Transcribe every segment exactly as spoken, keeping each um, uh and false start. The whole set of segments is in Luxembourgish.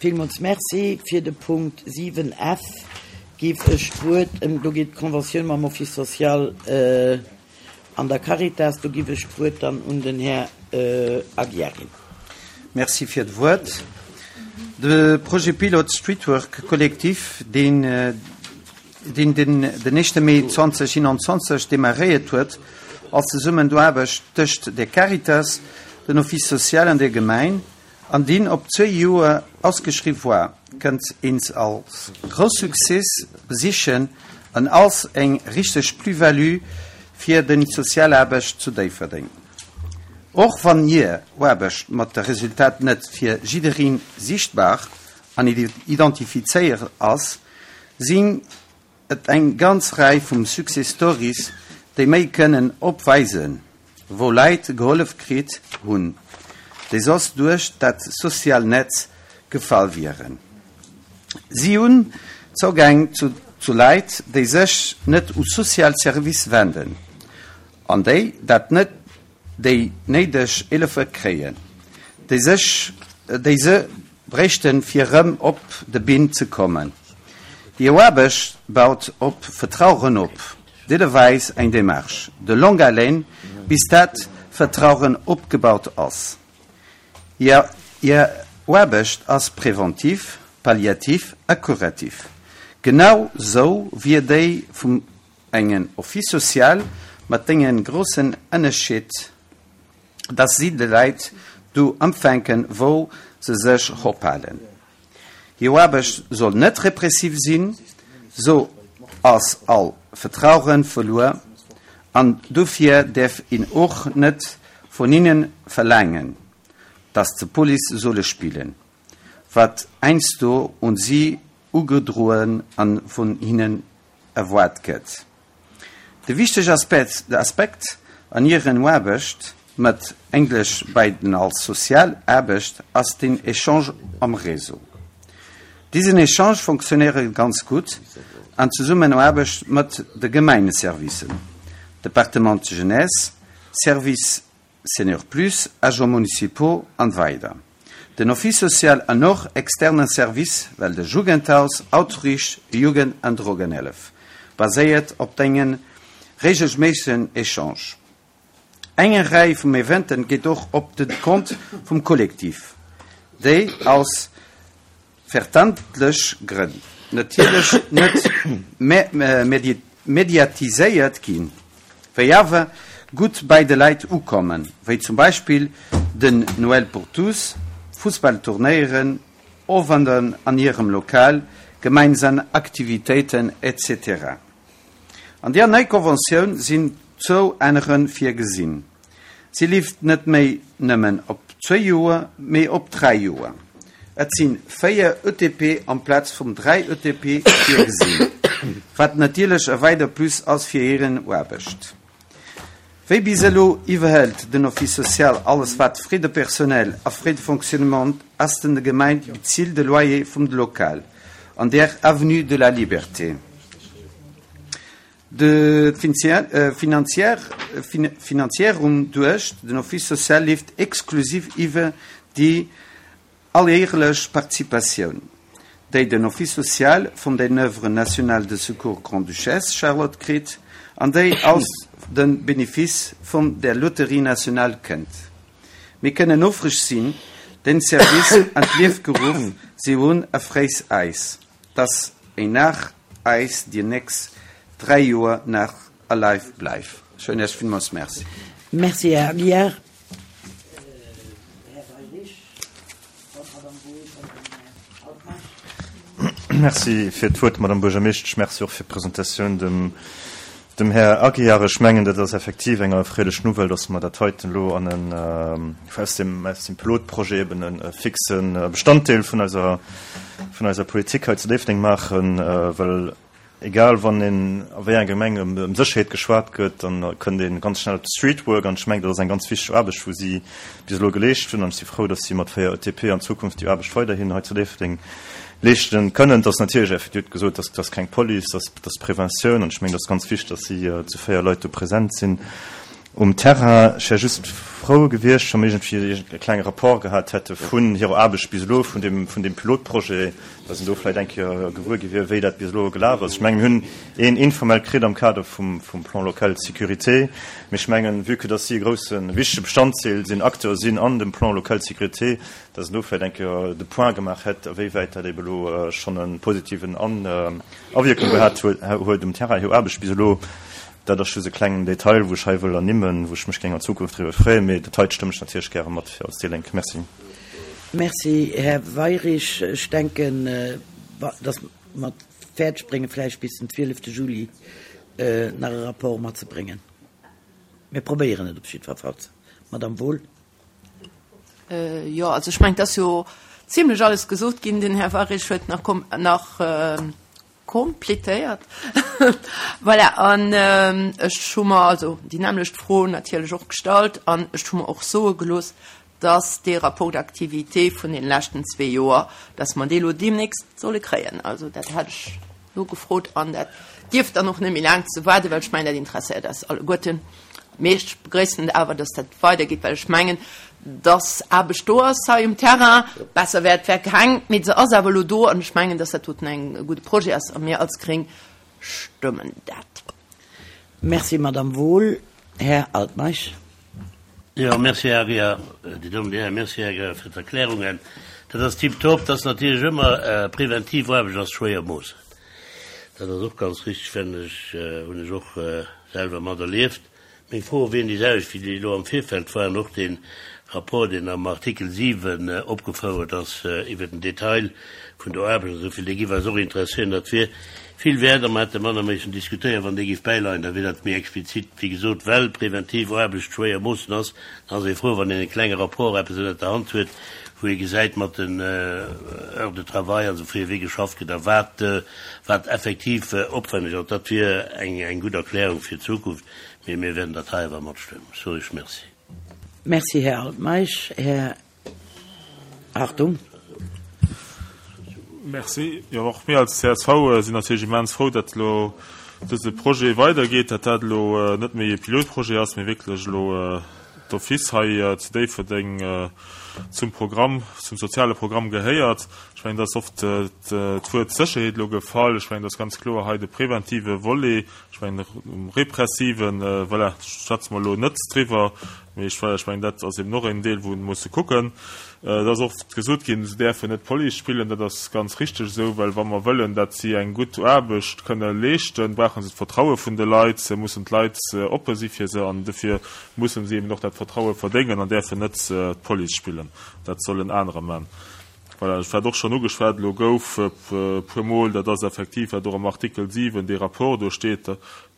Villmools Merci. Fir de Punkt siwen F géif ech d'Wuert, do geet d'Conventioun mam Office social an der Caritas, do géif ech d'Wuert dann un den Här Aguiar ginn. Merci fir d'Wuert. De Projet pilote Streetwork Collectif, deen deen den den éischte Mee zweedausendeenanzwanzeg demarréiert huet als Zesummenaarbecht tëscht der Caritas, den Office social an der Gemeng, an deen op zwee Joer ausgeschriwwen war, kënnt eens als grouss Succès besichen an als eng richteg Plus-value fir den Sozialaarbecht zu Déifferdeng. Och wann hir Aarbecht mat de Resultat net fir jiddereen sichtbar an identifizéiert ass, sinn et eng ganz Rei vum Success Stories, déi méi kënnen opweisen, wou Leit gehollef kritt hunn, déi soss duerch dat soziaalt Netz gefall wieren. Si hunn Zougang zu, zu Leit, déi sech net u sozial Service wenden, an déi dat net déi néideg Hëllef kréien, déi sech déi se bräichten fir rëm op de Been ze kommen. Déi Aarbecht baut op Vertrauen op, deelweis eng Démarche de longue haleine, bis dat Vertrauen opgebaut ass. Hir, hir Aarbecht ass präventiv, palliativ a kurativ. Genau sou wéi déi vum engem Office social mat deem groussen Ënnerscheed, dass si de Leit do opfänken, wou se sech ophalen. Hir Aarbecht soll net repressiv sinn, sou ass all Vertrauen verluer an dofir däerf een och net vun hinnen verlaangen, dass se Police solle spillen, wat heiansdo un si erugedroen an vun hinnen erwaart gëtt. De wichtege Aspekt, de Aspekt an hirer Aarbecht mat Englesch bei den als Sozialaarbecht ass den Echange am Réseau. Disen Echange funktionéiert ganz gutt an Zesummenaarbecht mat de Gemengeservicen. Departement Jeunesse, Service Senior Plus, Agents municipaux an weider. Den Office social an och externe Service, well de Jugendhaus, Outreach, Jugend an Drogenhëllef, baséiert op engem reegelméissegen Echange. Eng Rei vum Eventen geet och op de Kont vum Kollektiv, déi aus verständleche Grënn natierlech net mediatiséiert ginn, wéi awer gutt bei de Leit ukommen, wéi zum Beispill den Noël pour tous, Fussballturnéieren, Owender an hirem Lokal, gemeinsam Aktivitéiten et cetera. An der neier Konventioun sinn zwou Ännerunge virgesinn. Si leeft net méi nëmmen op zwee Joer, mee op dräi Joer. Et sinn véier E T P amplaz vum dräi E T P virgesinn, wat natierlech e weider Plus ass fir hir Aarbecht. Wéi bis elo iwwerhëlt den Office social alles wat Frais de personnel a Frais de fonctionnement ass den de Gemeng bezilt de Loyer vum Lokal an der Avenue de la Liberté. De Finanzéierung duerch den Office social leeft exklusiv iwwer déi alljärlech Participatioun, déi den Office social vun den Œuvre nationale de Secours Grande-Duchesse Charlotte kritt an déi aus den Benefice vun der Loterie nationale kënnt. Mir kënnen houfreg sinn, den Service an d'Liewe geruff ze hunn a freeën eis, dass en nach eis déi nächst dräi Joer nach alive bleift. Ech soen Iech villmools Merci. Merci, Här Aguiar. Här Weyrich, Madame Boes an den Altmaasch. Merci fir d'Wuert, Madame Buergermeeschtesch. Merci och fir d'Presentatioun dem, dem Här Aguiar. Ech mengen, dat ass effektiv eng erfreelech Nouvelle, dass mer dat heiten elo an en, äh, aus dem, aus dem Pilotprojet eben en äh, fixen äh, Bestanddeel vun eiser, vun eiser Politik hei zu Déifferdeng maachen, äh, well egal wann in a wéi enger Gemeng ëm, ëm Sécherheet geschwat gëtt, dann kënnt een ganz schnell op Streetwork an ech mengen, dat ass eng ganz wichteg Aarbecht, wou si bis elo geleescht hunn an ech si frou, dass si mat véier E T P an Zukunft déi Aarbecht weiderhin hei zu Déifferdeng leeschten kënnen. Dat ass natierlech effektiv gesot, dass dat keng Police, dat dat Preventioun an ech mengen, dat ass ganz wichteg, dass si äh, zu véier Leit do present sinn. um Terrain. Ech wär just frou gewiescht, wa mir iergendwéi e klenge Rapport gehat hätte vun hirer Aarbecht bis elo, vun deem, vun deem Pilotprojet, dass een do vläicht eng Kéier gewuer gi wier, wéi dat bis elo gelaf ass. Ech mengen, mir hunn een informell kritt am Kader vum, vum Plan local de sécurité, mee ech mengen, vue que dass si e groussen, wichtege Bestandzeel sinn, Acteur sinn an dem Plan local de sécurité, dass een do vläicht eng Kéier de Point gemaach hätt, awéiwäit dat ebe elo schonn e positiven An, Awierkung gehat huet um Terrain, hir Aarbecht bis elo. Dat ass just e klengen Detail, wou ech hei wëll ernimmen, wou ech mech géing an Zukunft driwwer freeën, mee dat heite stëmmen ech natierlech gäre mat fir als déi Lénk. Merci. Merci, Här Weyrich. Ech denken, dass mer et fäerdeg bréngen, vläicht bis den zwielefte Juli nach e Rapport matzebréngen. Mir probéieren et op jiddwer Fall. Madame Wohl. Jo, also ech mengen, et ass jo zimlech alles gesot ginn. Den Här Weyrich huet nach nach Complétéiert. Voilà, an ech hu mer also déi nämmlecht Fro natierlech och gestallt an ech hu mer och soe gelooss, dass dee Rapport d'activité vun deene leschten zwee Joer, dass mer dee lo deemnächst solle kréien. Also dat hat ech nogefrot an dat dierft dann och net méi laang ze waarden, well ech mengen, dat interesséiert eis alleguerten. Mee ech begrëissen et awer, dass dat weidergeet, well ech mengen, dass Aarbecht do ass hei um Terrain. Besser wär, et wär keng, mee se ass awer elo do an ech mengen, dass dat doten e gudde Projet ass a mir als Gréng stëmmen dat. Merci, Madame Wohl. Här Altmeisch. Jo, merci, Här Aguiar. Dir Dammen, Dir Hären, merci, Här Aguiar, fir d'Erklärungen. Dat ass tiptop. Dat ass natierlech ëmmer, präventiv Aarbecht ass schwéier moossen. Dat ass och ganz richtig, fannen ech, hunn ech och selwer materlieft. Meng Froe wieren déi selwecht wéi déi elo am Virfeld waren. Och dee Rapport, deen am Artikel siwen opgefouert ass iwwert den Detail vun der Aarbecht a sou vill, dee giff eis och interesséieren. Dat wier vill wäert a mer hätte manner missen diskutéieren, wann dee giff bäileien. Da wier dat méi explizit. Wéi gesot, well präventiv Aarbecht schwéier moossen ass, dann ass ee frou, wann een e klenge Rapport, eppes ënnert der Hand huet, wou ee gesäit mat den Heures de travail an esou vill, wéi geschafft gëtt a wat, wat effektiv opwenneg ass. Dat wier eng, eng gutt Erklärung fir d'Zukunft. Mee mir wäerten dat hei awer matstëmmen. Ech soe Iech Merci. Merci, Här Altmeisch. Här Hartung. Merci. Jo, och mir als csv sinn natierlech immens frou, datt elo dëse Projet weidergeet, datt dat elo net méi e Pilotprojet ass, mee wierklech elo d'office hei zu Déifferdeng zum Programm, zum soziale Programm gehéiert. Ech mengen, et ass oft d'Wuert Sécherheet elo gefall. Ech mengen, et ass ganz kloer hei de preventive Volet. Ech mengen, um repressiven, voilà, schwätze mer elo net driwwer, mee ech, ech mengen, dat ass eben och en Deel, wou ee musse kucken. Et ass oft gesot ginn, se däerfen net Police spillen. Dat ass ganz richteg esou, well wa mer wëllen, datt si eng gutt Aarbecht kënne leeschten, brauche se d'Vertraue vun de Leit, mussen d'Leit oppe si fir se an dofir mussen si eben och dat Vertraue verdéngen an däerfen net d'Police spillen. Dat sollen anerer man. Voilà, wat och schonn ugeschwat elo gouf e puermol, dat ass effektiv, wat och am Artikel siwen, dee Rapport do steet,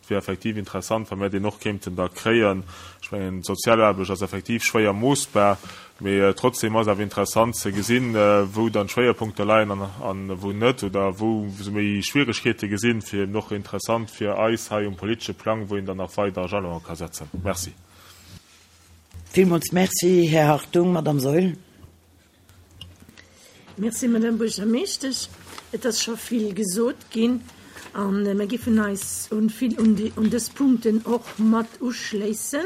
Et wier effektiv interessant, wa mär deen och kéinten da kréien. Ech mengen, d'Sozialaarbecht ass effektiv schwéier moossbar, mee trotzdem ass awer interessant ze gesinn, wou dann d'Schwéierpunkter leien an wou net oder wou se méi Schwieregkeete gesinn, fir eben och interessant fir eis hei um politesche Plang, wou een dann nach weider Jalone ka setzen. Merci. Villmools Merci, Här Hartung. Madame Saeul. Merci, Madame Buergermeeschtesch. Et ass scho vill gesot ginn a mir géifen eis un vill un déi, un dës Punkten och mat uschléissen,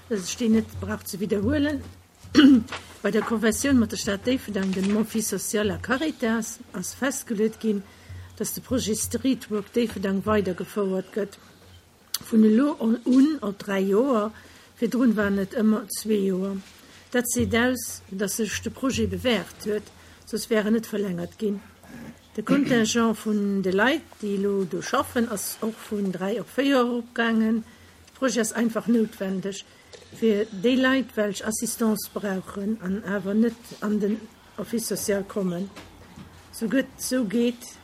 dass ech déi net brauch ze widderhuelen. Bei der Konventioun mat der Stad Déifferdeng, dem Office social a Caritas ass festgeluet ginn, dass de Projet Streetwork Déifferdeng weidergefouert gëtt. Vun elo un op dräi Joer, virdrun waren et ëmmer zwee Joer. Dat seet aus, datt sech de Projet bewäert huet, soss wär en net verlängert ginn. De Contingent vun de Leit, déi elo do schaffen, ass och vun dräi op véier eropgaangen. De Projet ass einfach noutwendeg fir déi Leit, welch Assistance brauchen an awer net an den Office social kommen. Sou gëtt, sou geet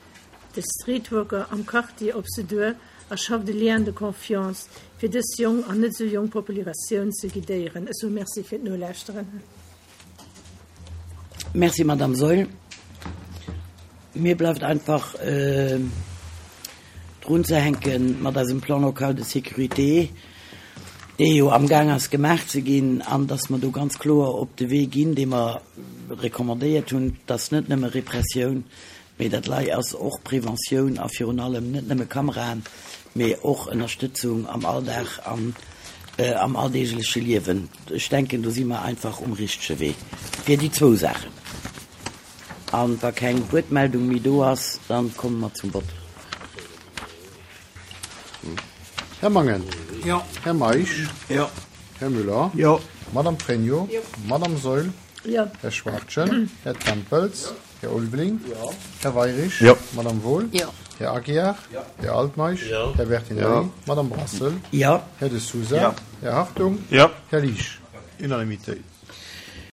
de Streetworker am Quartier op se duer a schafft e Lien de confiance, fir dës jonk an net sou jonk Populiratioun ze guidéieren. Ech soe Merci fir d'Nolauschteren. Merci, Madame Saeul. Mir bleift einfach drunzehänke mat eisem Plan local de sécurité, dee jo amgaang ass gemaach ze ginn, an dass mer do ganz kloer op de Wee ginn, dee mer recommandéiert hunn, dass net nëmme Repressioun, mee dat lei ass och Preventioun a virun allem net nëmme Kameraen, mee och Ënnerstëtzung am Alldag an am alldeegleche Liewen. Ech denken, do si mer einfach um richtege Wee fir déi zwou Saachen. An wa keng Wuertmeldung méi do ass, da komme mer zum Vott. Här Mangen. Jo. Här Meisch. Jo. Här Müller. Jo. Madame Pregno. Jo. Madame Saeul. Jo. Här Schwachtgen. Här Tempels. Här Ulveling. Jo. Här Weirich. Jo. Madame Wohl. Jo. Här Aguiar. Jo. Här Altmeisch. Jo. Här Bertinelli. Jo. Madame Brassel. Jo. Här De Sousa. Jo. Här Hartung. Jo. Här Liesch. Unanimitéit.